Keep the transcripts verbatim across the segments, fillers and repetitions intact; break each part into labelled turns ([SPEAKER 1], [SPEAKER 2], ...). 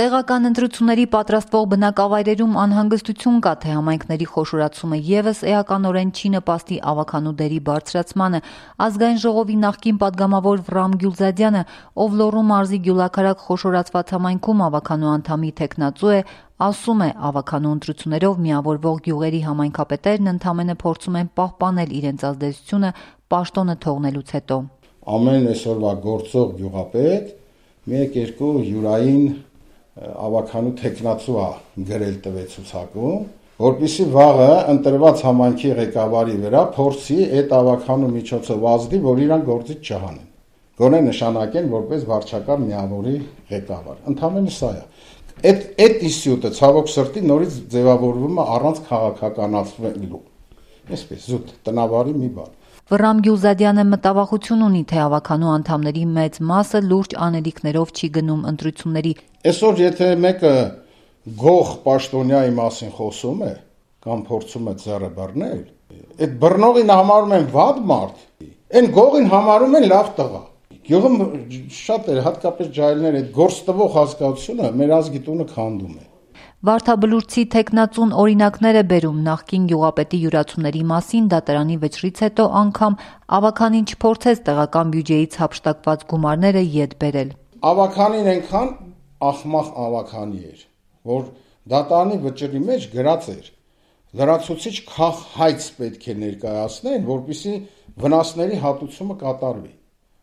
[SPEAKER 1] Տեղական ընտրությունների պատրաստվող բնակավայրերում անհանգստություն կա, թե համայնքների խոշորացումը ևս էականորեն չի նպաստի ավագանու դերի բարձրացմանը։ Ազգային ժողովի նախկին պատգամավոր Վռամ Գյուլզադյանը, ով Լոռու մարզի Գյուլաքարակ խոշորացված համայնքում ավագանու անդամի թեկնածու է, ասում է, ավագանու ընտրություններով միավորվող գյուղերի համայնքապետերն ընդամենը փորձում են պահպանել իրենց ազդեցությունը պաշտոնը թողնելուց հետո։
[SPEAKER 2] Ամեն այսօրվա գործող գյուղապետ մեկ երկու յուրային ավագանու թեկնածու է գրել տվեցուցակում, որպեսզի վաղը ընտրված համայնքի ղեկավարի վրա փորձի այդ ավագանու միջոցով ազդի, որ իրան գործից չհանեն։ Գոնե նշանակեն որպես վարչակար միավորի ղեկավար։ Ընդամենը սա է։ Այդ այդ իսյութը ցավոք սրտի նորից ձևավորվում է առանց քաղաքականացվելու։ Այսպես զուտ տնավարի մի բան։
[SPEAKER 1] Վռամ Գյուլզադյանը մտավախություն ունի, թե ավագանու անդամների մեծ մասը լուրջ անելիքներով չի գնում ընտրությունների։
[SPEAKER 2] Այսօր եթե մեկը գող պաշտոնյայի մասին խոսում է կամ փորձում է ձեռը բռնել, այդ բռնողին համարում են վատ մարդ, այն գողին համարում են լավ տղա։ Գյուղում շատ է, հատկապես ջահելներ, այդ գործ տվող հասկացությունը մեր ազգի տունը քանդում է։
[SPEAKER 1] Վարդաբլուրցի թեկնածուն օրինակներ է բերում նախկին գյուղապետի յուրացումների մասին, դատարանի վճռից հետո անգամ ավագանին չփորձեց տեղական բյուջեից հափշտակված գումարները ետ բերել։
[SPEAKER 2] Ավագանին այնքան ախմախ ավագանի էր, որ դատարանի վճռի մեջ գրած էր լրացուցիչ քաղհայց պետք է ներկայացնեն, որպեսզի վնասների հատուցումը կատարվի։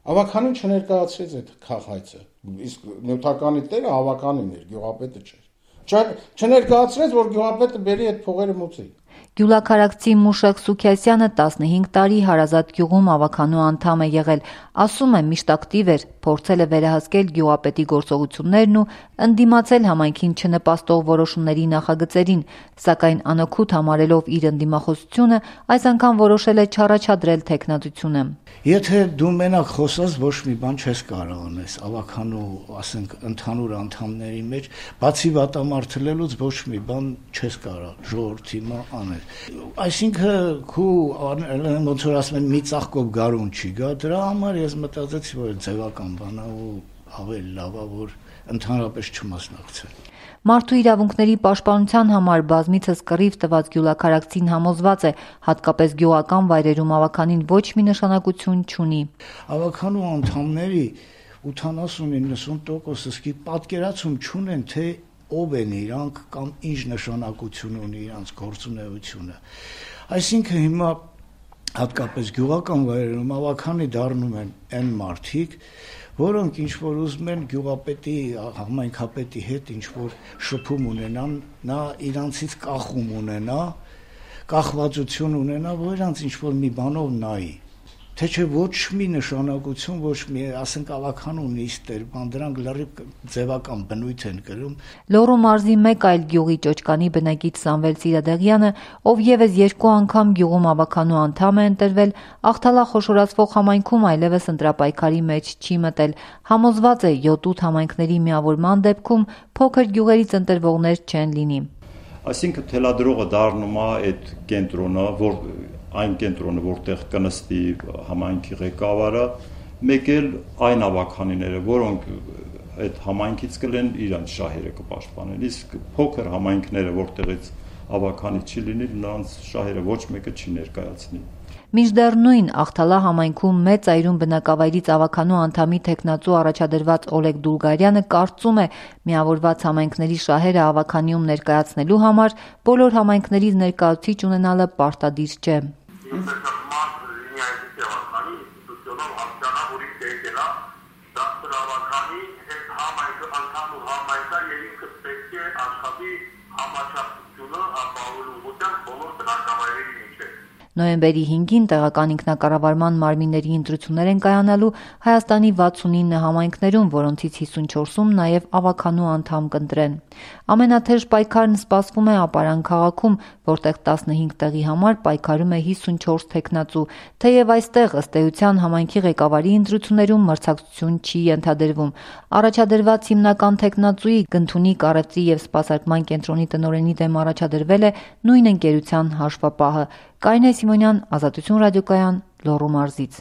[SPEAKER 2] Ավագանին չներկայացրեց այդ քաղհայցը, իսկ նյութականի տերը ավագանին էր, գյուղապետը չէր։ Չներկայացրեց, որ գյուղապետը բերի այդ փողերը մուծի։
[SPEAKER 1] Գյուլաքարակցի Մուշակ Սուքիասյանը տասնհինգ տարի Հարազատ գյուղում ավագանու անդամ է եղել, ասում է միշտ ակտիվ էր, փորձել է վերահսկել գյուղապետի գործողություններն ու ընդդիմացել համայնքին չնպաստող որոշումների նախագծերին, սակայն անօգուտ համարելով իր ընդդիմախոսությունը, այս անգամ որոշել է չառաջադրել թեկնածությունը։
[SPEAKER 3] Եթե դու մենակ խոսած ոչ մի բան չես կարող անես, ավագանու, ասենք, ընդհանուր անդամների մեջ, բացի վատամարտելուց ոչ մի բան չես կարող ժողովրդի մա անել։ Այսինքն քու ոնց որ ասում են մի ծաղկով գարուն չի գա, դրա համար ես մտածեցի, որ ձևական բան է ու ավելի լավ է, որ ընդհանրապես չմասնակցել։
[SPEAKER 1] Մարդու իրավունքների պաշտպանության համար բազմիցս կռիվ տված գյուլաքարակցին համոզված է, հատկապես գյուղական վայրերում ավագանին ոչ մի նշանակություն չունի։
[SPEAKER 3] Ավագանու անդամների ութանասուն իննսուն տոկոսը սկի պատկերացում չունեն, թե ով են իրանք կամ ինչ նշանակություն ունի իրանց գործունեությունը։ Այսինքն հիմա հատկապես գյուղական վայրերում ավագանի դառնում են այն մարդիկ, որոնք ինչ-որ ուզում են գյուղապետի, համայնքապետի հետ ինչ-որ շփում ունենան, նա իրանցից կախում ունենա, կախվածություն ունենա, որ իրանց ինչ-որ մի բանով նայի, թե չէ ոչ մի նշանակություն, ոչ մի, ասենք ավագանու նիստեր, բան դրանք լրիվ ձևական բնույթ են կրում։
[SPEAKER 1] Լոռու մարզի մեկ այլ գյուղի ճոճկանի բնակիչ Սամվել Սիրադեղյանը, ով ևս երկու անգամ գյուղում ավագանու անդամ է ընտրվել, Աղթալա խոշորացվող համայնքում այլևս ընտրապայքարի մեջ չի մտել, համոզված է յոթ-ութ համայնքների միավորման դեպքում փոքր գյուղերից ընտրվողներ չեն լինի։
[SPEAKER 4] Այսինքն թելադրողը դառնում է այդ կենտրոնը, որ այն կենտրոնը, որտեղ կնստի համայնքի ղեկավարը, մեկ էլ այն ավագանիները, որոնք այդ համայնքից կլեն իրանց շահերը կպաշտպանեն, իսկ փոքր համայնքները, որտեղից ավագանի չի լինի, նրանց շահերը ոչ մեկը չի ներկայացնի։
[SPEAKER 1] Մինչդեռ նույն Աղթալա համայնքում մեծ այրում բնակավայրից ավագանու անդամի թեկնածու առաջադրված Օլեգ Դուլգարյանը կարծում է, միավորված համայնքների շահերը ավագանիում ներկայացնելու համար բոլոր համայնքներից ներկայացուցիչ ունենալը պարտադիր չէ։ Նոյեմբերի հինգին տեղական ինքնակառավարման մարմինների ընտրություններ են կայանալու Հայաստանի վաթսունինը համայնքներում, որոնցից հիսունչորսում նաև ավագանու անդամ կընտրեն։ Ամենաթեժ պայքարն սպասվում է Ապարան քաղաքում, որտեղ տասնհինգ տեղի համար պայքարում է հիսունչորս թեկնածու, թեև այստեղ ըստ էության համայնքի ղեկավարի ընտրություններում մրցակցություն չի ենթադրվում։ Առաջադրված հիմնական թեկնածուի Գնթունի կառույցի և սպասարկման կենտրոնի տնօրենի դեմ առաջադրվել է նույն ընկերության հաշվապահը։ Կարինե Սիմոնյան, Ազատություն ռադիոկայան, Լոռու մարզից։